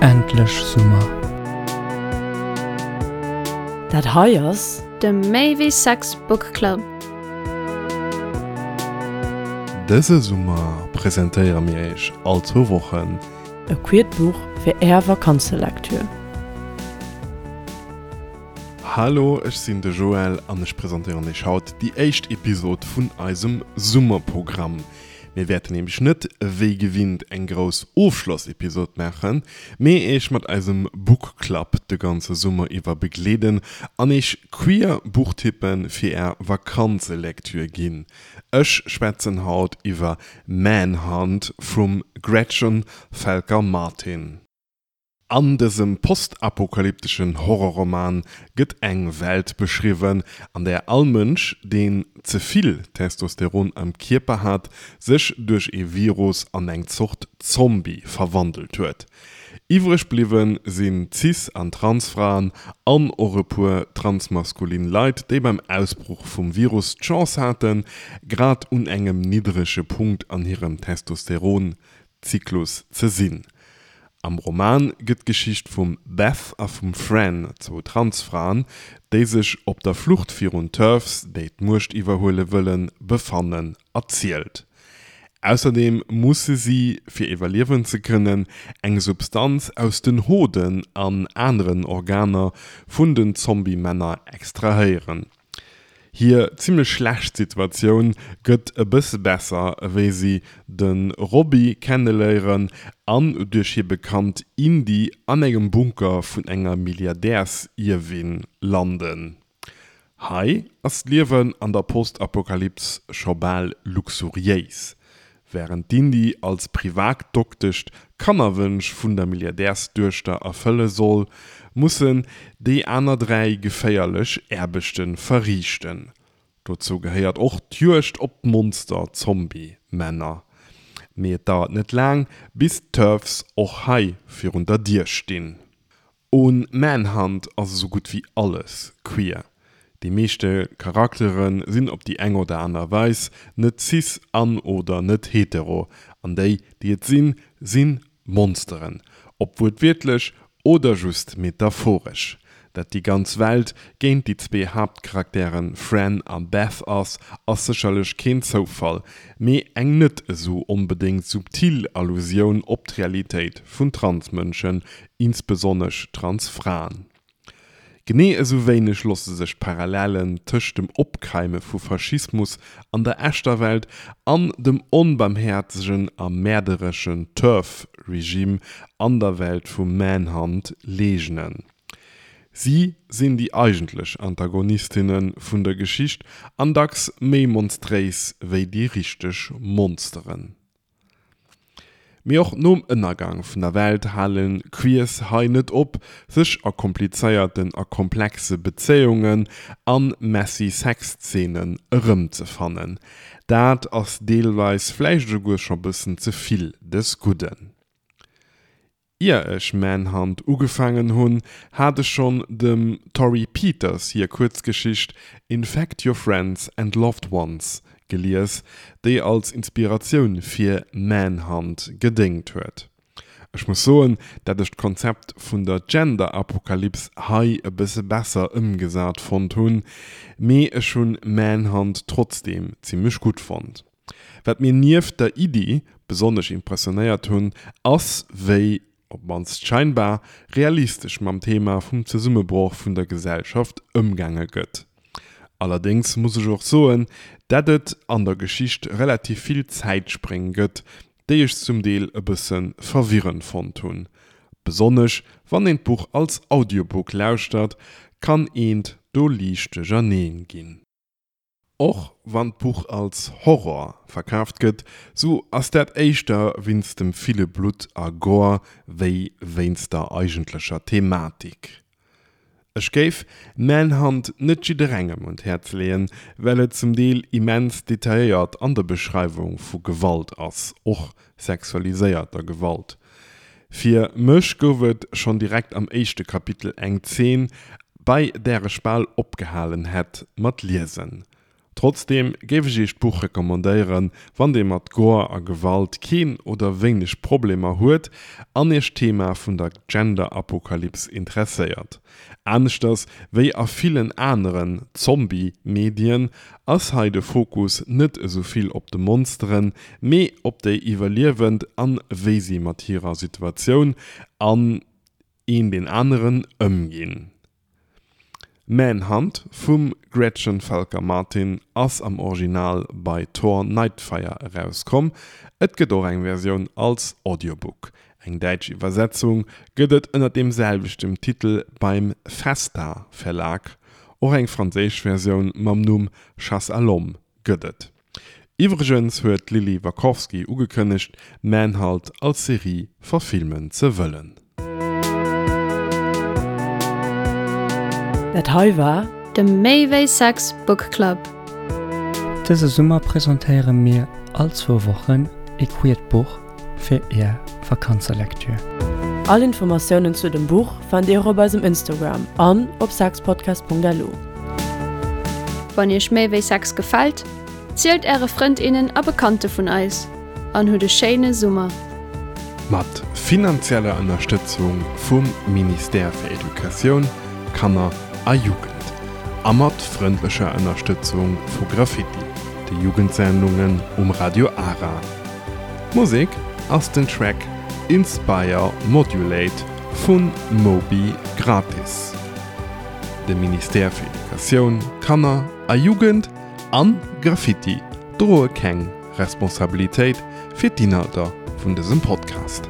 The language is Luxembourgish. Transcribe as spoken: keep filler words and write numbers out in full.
Endlech Summer! Dat hei ass. De Méi wéi Sex Book Club. Dëse Summer presentéiere mir iech all zwou Wochen. E queert Buch fir är Vakanzelektür. Hallo, ech sinn de Joël an ech presentéieren iech haut déi éischt Episod vun eisem Summerprogramm. Mir wäerten nämlech net wéi gewinnt eng grouss Ofschlossepisod maachen, mee iech mat eisem Book Club de ganze Summer iwwer begleeden an iech queer Buchtippe fir är Vakanzelektür ginn. Ech schwätzen haut iwwer Manhunt vum Gretchen Felker-Martin. An dësem postapokalypteschen Horrorroman gëtt eng Welt beschriwwen, an där all Mënsch, deen ze vill Testosteron am Kierper hat, sech duerch ee Virus an eng Zort Zombie verwandelt huet. Iwwreg bliwwe sinn Cis an Transfraen an och e puer transmaskulin Leit, déi beim Ausbroch vum Virus d'Chance haten, grad un engem niddrege Punkt an hirem Testosteron-Zyklus ze sinn. Am Roman gëtt d'Geschicht vum Beth a vum Fran, zwou Transfraen, déi sech op der Flucht virun TERFs, déi d'Muecht iwwerhuele wëllen, befannen, erzielt. Ausserdeem musse si, fir iwwerliewen ze kënnen, eng Substanz aus den Hoden an aneren Organer vun den Zombie-Männer extrahéieren. Hir zimmlech schlecht Situatioun gëtt e bësse besser, wéi si de Robbie kenneléieren an duerch hir Bekannt Indy an engem Bunker vun enger Milliardärsierwin landen. Hei ass d'Liewen an der Postapokalyps scho bal luxuriéis. Wärend d'Indy als Privatdoktesch d'Kannerwënsch vun der Milliardärsduechter erfëlle soll, mussen déi aner dräi geféierlech Aarbechte verriichten. Dozou gehéiert och d'Juegd op d'Monster-Zombie-Männer. Mee et dauert net laang, bis d'TERFs och hei virun der Dier stinn. Un Manhunt ass esou gutt wéi alles queer. Déi meeschte Charaktere sinn op déi eng oder aner Weis net cis an oder net hetero, an déi, déi et sinn, si Monsteren, ob wuertwiertlech oder just metaphoresch. Dat déi ganz Welt géint déi zwee Haaptcharaktere Fran a Beth ass, ass sécherlech keen Zoufall, mee eng net esou onbedéngt subtil Allusioun op d'Realitéit vun Transmënschen, insbesonnesch Transfraen. Genee esou wéineg loosse sech d'Parallellen tëscht dem Opkeime vu Faschismus an der echter Welt an dem onbaarmhäerzegen a mäerdereschen TERF-Regime an der Welt vu Manhunt leegnen. Si sinn déi eigentlech Antagonistinne vun der Geschicht an dacks méi monstréis wéi déi richteg Monsteren. Mee och nom Ënnergang vun der Welt hale Queers hei net op, sech a komplizéierten a komplexe Bezéiungen a messy Sexzeenen erëmzefannen. Dat ass deelweis vläicht esouguer scho bëssen ze vill des Gudden. Ier ech Manhunt ugefaangen hunn, hat ech schonn dem Torrey Peters hir Kuerzgeschicht Infect Your Friends and Loved Ones gelies, déi als Inspiratioun fir Manhunt gedéngt huet. Ech muss soen, dat ech d'Konzept vun der Gender-Apokalyps hei e bësse besser ëmgesat fonnt hunn, mee ech hunn Manhunt trotzdeem zimmlech gutt fonnt. Wat mir nieft der Iddi besonnesch impressionéiert hunn, ass wéi, op d'mannst scheinbar, realistesch mam Thema vum Zesummebroch vun der Gesellschaft ëmgaange gëtt. Allerdéngs muss ech och soen, dat et an der Geschicht relativ vill Zäitspréng gëtt, déi ech zum Deel e bësse verwirrend fonnt hunn. Besonnesch wann een d'Buch als Audiobook lauschtert, kann eent do liicht duercherneen ginn. Och wann d'Buch als Horror verkaaft gëtt, sou ass dat éischter wéinst dem ville Blutt a Gore wéi wéinst der eigentlecher Thematik. Ech géif Manhunt net jidderengem un d'Häerz leeën, well et zum Deel immens detailléiert an der Beschreiwung vu Gewalt ass, och sexualiséierter Gewalt. Fir mech gouf et schonn direkt am éischte Kapitel eng Zeen, bei där ech bal opgehalen hätt mat liesen. Trotzdeem géif ech iech d'Buch recommandéieren, wann dir mat Gore a Gewalt keen oder wéineg Problemer huet an iech d'Thema vun der Gender-Apokalyps interesséiert. Aneschters wéi a villen aneren Zombie-Medien ass hei de Fokus net esou vill op de Monsteren, mee op déi Iwwerliewend an wéi si mat hirer Situatioun an een deen aneren ëmginn. Manhunt vum Gretchen Felker Martin ass am Original bei Tor Nightfire erauskomm, et gëtt och eng Versioun als Audiobook. Eng däitsch Iwwersetzung gëtt et ënner deem selwechten Titel beim Festa Verlag, och eng franséisch Versioun mam Numm Chasse à l'homme gëtt et. Iwwregens huet d'Lilly Wachowski ugekënnegt, Manhunt als Serie verfilmen ze wëllen. Dat hei war. De Méi wéi Sex Book Club. Dëse Summer presentéiere mir all zwou Wochen e queert Buch fir är Vakanzelektür. All Informatiounen zu dem Buch fannt dir och op eisem Instagram an op sexpodcast.lu. Wann iech Méi wéi Sex gefält, zielt äre Frënd, innen a Bekannte vun eis an hutt e schéine Summer! Mat finanzieller Ënnerstëtzung vum Ministère fir Educatioun, Kanner a Jugend a mat frëndlecher Ënnerstëtzung vu Graffiti, de Jugendsendungen um Radio Ara. D'Musek ass den Track Inspire Modulate vu Moby Gratis. De Ministère fir Educatioun, Kanner a Jugend an Graffiti droe keng Responsabilitéit fir d'Inhalter vun dësem Podcast.